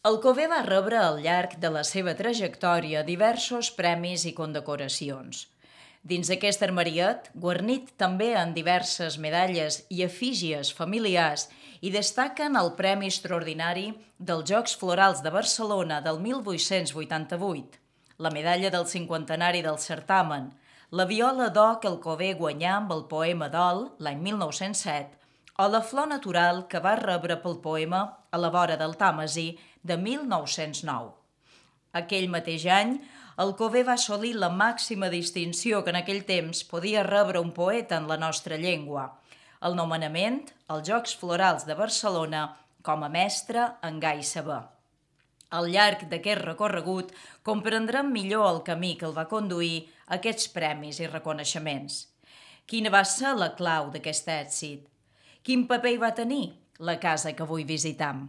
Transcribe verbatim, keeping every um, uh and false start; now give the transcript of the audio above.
Alcover va rebre al llarg de la seva trajectòria diversos premis i condecoracions. Dins aquest armariet, guarnit també en diverses medalles i efígies familiars, hi destaquen el Premi Extraordinari dels Jocs Florals de Barcelona del mil vuit-cents vuitanta-vuit, la medalla del cinquantenari del certamen, la viola d'or que Alcover guanyà amb el poema Dol l'any mil nou-cents set, o la flor natural que va rebre pel poema A la vora del Tàmesi de mil nou-cents nou. Aquell mateix any, Alcover va assolir la màxima distinció que en aquell temps podia rebre un poeta en la nostra llengua, el nomenament als Jocs Florals de Barcelona com a mestre en gai saber. Al llarg d'aquest recorregut comprendrem millor el camí que el va conduir a aquests premis i reconeixements. Quina va ser la clau d'aquest èxit? Quin paper hi va tenir la casa que avui visitam?